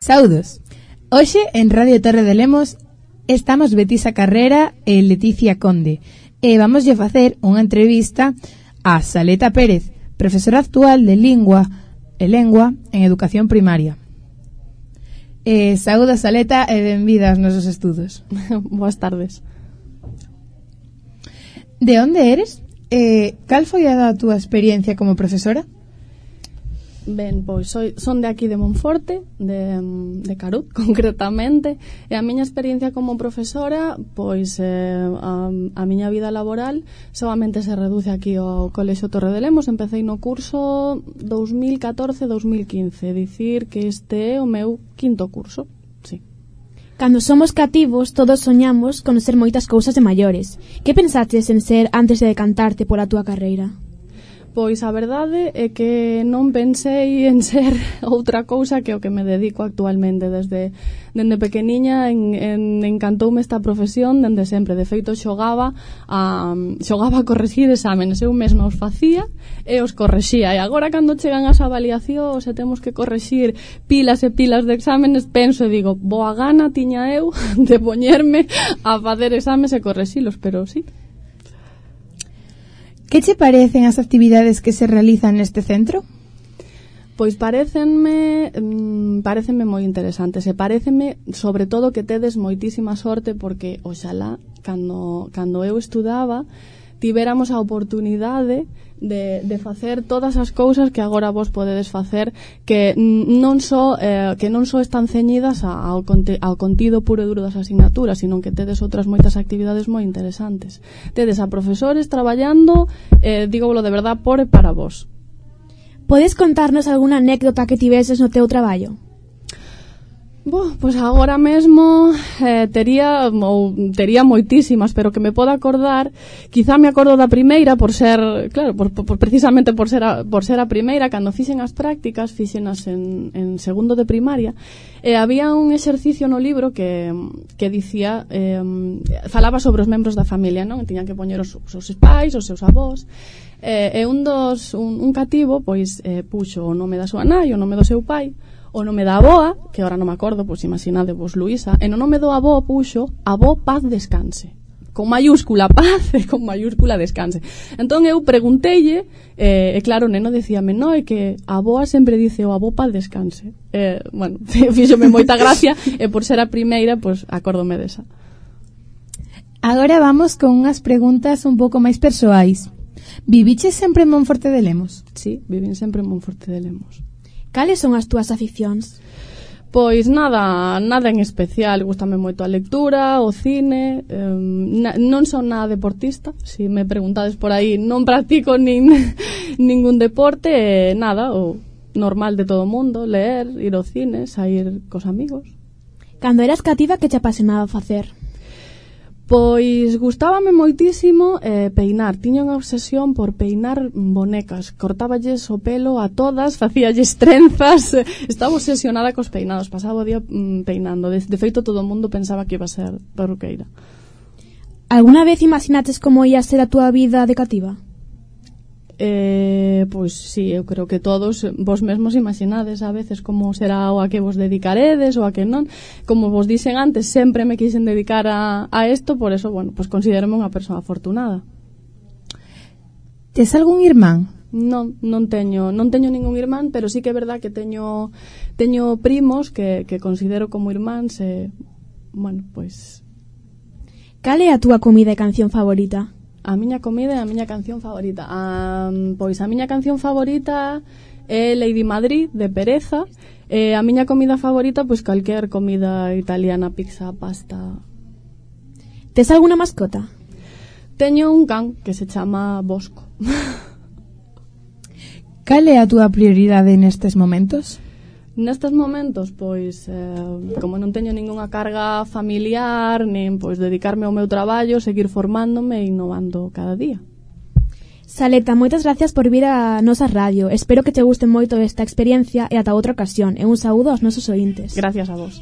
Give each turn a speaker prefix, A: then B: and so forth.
A: Saudos. Hoxe en Radio Torre de Lemos estamos Betisa Carrera e Leticia Conde e vamoslle facer unha entrevista a Saleta Pérez, profesora actual de Lingua en Educación Primaria. Saúda Saleta e benvida aos nosos estudos.
B: Boas tardes.
A: De onde eres? Cal foi a túa experiencia como profesora?
B: Ben, pois son de aquí de Monforte, de Carut, concretamente, e a miña experiencia como profesora, pois a miña vida laboral solamente se reduce aquí ao Colexio Torre de Lemos. Empecé no curso 2014-2015, dicir que este é o meu quinto curso, sí.
C: Cando somos cativos, todos soñamos con ser moitas cousas de maiores. Que pensaches en ser antes de decantarte pola túa carreira?
B: Pois a verdade é que non pensei en ser outra cousa que o que me dedico actualmente. Dende pequeniña encantoume esta profesión dende sempre. De feito, xogaba a corregir exámenes. Eu mesma os facía e os correxía. E agora, cando chegan as avaliacións e temos que correxir pilas e pilas de exámenes, penso e digo, boa gana tiña eu de poñerme a facer exames e correxilos, pero sí.
A: Que che parecen as actividades que se realizan neste centro?
B: Pois parecenme moi interesantes e pareceme, sobre todo, que tedes moitísima sorte porque, oxalá, cando eu estudaba, tivéramos a oportunidade de facer todas as cousas que agora vos podedes facer, que non só están ceñidas ao contido puro e duro das asignaturas, sino que tedes outras moitas actividades moi interesantes. Tedes a profesores traballando, dígolo de verdad, por e para vos.
C: Podes contarnos algunha anécdota que tiveses no teu traballo? Pois
B: agora mesmo tería moitísimas, pero que me poda acordar, quizá me acordo da primeira por ser, claro, precisamente por ser a primeira. Cando fixen as prácticas, fixenas en segundo de primaria, e había un exercicio no libro que dicía, falaba sobre os membros da familia, non? E tiñan que poñer os seus pais, os seus avós, e un cativo pois puxo o nome da súa nai, o nome do seu pai, o nome da avoa, que agora non me acordo, pois imaginadevos Luisa, e no nome do avó puxo avó paz descanse, con mayúscula paz e con mayúscula descanse. Entón eu pregunteille, e claro, o neno dicíame, no, é que a avoa sempre dice o avó paz descanse. Bueno, fíxome moita gracia, e por ser a primeira, pois acórdome desa.
A: Agora vamos con unhas preguntas un pouco máis persoais. Viviches sempre en Monforte de Lemos?
B: Sí, vivín sempre en Monforte de Lemos.
C: Cales son as túas aficións?
B: Pois nada en especial. Gústame moito a lectura, o cine, non son nada deportista. Se me preguntades por aí, non practico ningún deporte, nada, o normal de todo o mundo, leer, ir ao cine, sair cos amigos.
C: Cando eras cativa, que te apasionaba facer?
B: Pois gustábame moitísimo peinar. Tiña unha obsesión por peinar bonecas. Cortáballes o pelo a todas, facíalles trenzas. Estaba obsesionada cos peinados. Pasaba o día peinando. De feito, todo o mundo pensaba que iba a ser perruqueira.
C: Alguna vez imaginaches como ia ser a túa vida de cativa?
B: Pois sí, eu creo que todos vos mesmos imaginades a veces como será o a que vos dedicaredes ou a que non. Como vos dixen antes, sempre me quixen dedicar a isto, por eso, bueno, pois considérome unha persoa afortunada.
A: Tes algún irmán?
B: Non teño ningún irmán, pero sí que é verdad que teño primos que considero como irmáns e, bueno, pois...
C: Cal é a túa comida e canción favorita?
B: A miña comida e a miña canción favorita. Pois a miña canción favorita é Lady Madrid, de Pereza. E a miña comida favorita, pois calquer comida italiana, pizza, pasta.
C: Tes alguna mascota?
B: Teño un can que se chama Bosco.
A: Cal é a túa prioridade nestes momentos?
B: Nestes momentos, pois, como non teño ningunha carga familiar, nin pois dedicarme ao meu traballo, seguir formándome e innovando cada día.
C: Saleta, moitas gracias por vir a nosa radio. Espero que te guste moito esta experiencia e ata outra ocasión. E un saúdo aos nosos ointes.
B: Gracias a vos.